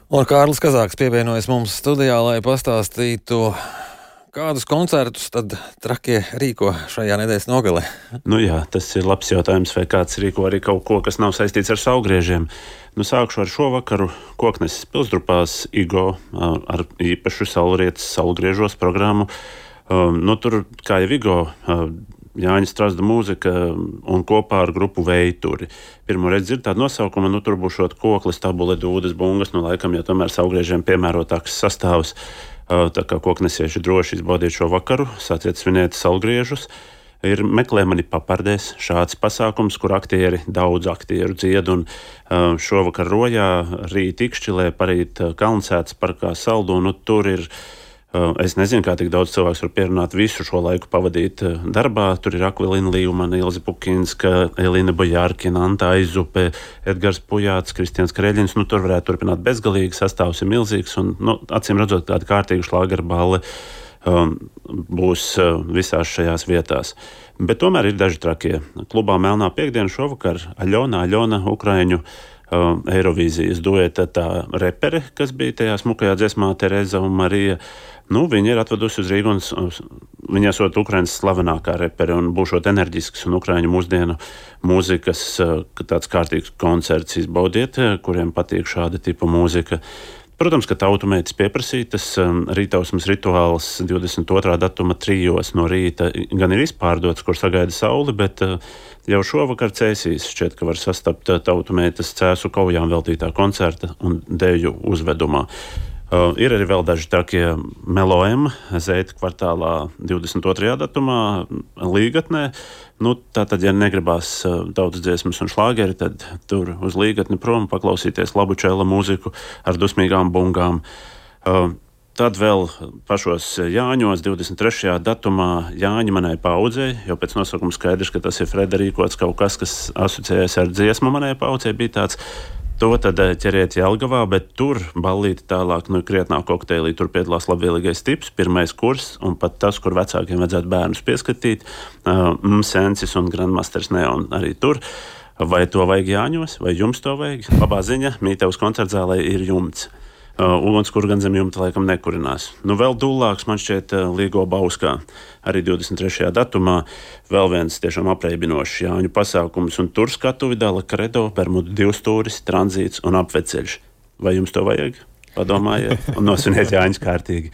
Un Kārlis Kazāks pievienojas mums studijā, lai pastāstītu, kādus koncertus tad Trakie rīko šajā nedēļas nogalē. Nu jā, tas ir labs jautājums, vai kāds rīko arī kaut ko, kas nav saistīts ar saulgriežiem. Sākšu ar šo vakaru Kokneses pilsdrupās Igo ar īpašu saulrietes saulgriežos programmu. Tur, kā jau Igo, Jāņa Strasda mūzika un kopā ar grupu Veituri. Pirmo reizi dzird tādu nosaukumu, tur būs šot koklis, tabule, dūdes, bungas, laikam, ja tomēr saulgriežiem piemērotāks sastāvs. Tā kā koknesieši droši izbaudiet šo vakaru, sāciet svinēt saulgriežus. Ir Meklē mani papardēs šāds pasākums, kur daudz aktieru dzied, un šovakar Rojā, rīt Ikšķilē, parīt Kalnsētas parkā Saldu, tur ir. Es nezinu, kā tik daudz cilvēks var pierunāt visu šo laiku pavadīt darbā. Tur ir Akvilina Līvmane, Ilze Pukinska, Elīna Bojārkina, Anta Aizupe, Edgars Pujāts, Kristians Kreļins. Tur varētu turpināt bezgalīgi, sastāvs ir milzīgs, un acīm redzot, tāda kārtīga šlāgerballe būs visās šajās vietās. Bet tomēr ir daži trakie. Klubā Melnā piekdiena šovakar Aļona, Ukraiņu Eirovīzijas dueta tā repere, kas bija tajā smukajā dziesmā Tereza un Marija. Viņa ir atvedusi uz Rīgu, un viņa esot Ukrainas slavenākā repere un būšot enerģisks un Ukraiņu mūsdienu mūzikas tāds kārtīgs koncerts izbaudiet, kuriem patīk šāda tipa mūzika. Protams, ka tautumeitas pieprasītas rītausmas rituāls 22. datuma 3 no rīta gan ir izpārdots, kur sagaida sauli, bet jau šovakar Cēsīs šķiet, ka var sastapt tautumeitas Cēsu kaujām veltītā koncerta un deju uzvedumā. Ir arī vēl daži trakie Meloema, Zeita kvartālā 22. datumā Līgatnē. Tātad, ja negribās tautas dziesmas un šlāgeri, tad tur uz Līgatni prom paklausīties labu čela mūziku ar dusmīgām bungām. Tad vēl pašos Jāņos 23. datumā Jāņa manai paudzei, jo pēc nosaukuma skaidrs, ka tas ir Frederīkots kaut kas asociējas ar dziesmu manai paudzei, bija tāds. To tad ķeriet Jelgavā, bet tur ballīti tālāk krietnā kokteilī. Tur piedalās labvēlīgais tips, 1. kurs, un pat tas, kur vecākiem vajadzētu bērnus pieskatīt, Sensis un Grandmasters Neon arī tur. Vai to vajag Jāņos, vai jums to vajag? Labā ziņa, Mītevas koncertzālē ir jumts. Ugunskura gan zem jumta laikam nekurinās. Vēl dūlāks man šķiet Līgo Bauskā, arī 23. datumā, vēl viens tiešām apreibinošs Jāņu pasākums, un tur skatuvi dala Kredo, Bermudu divstūris, tranzīts un apveceļš. Vai jums to vajag? Padomājiet un nosviniet Jāņus kārtīgi.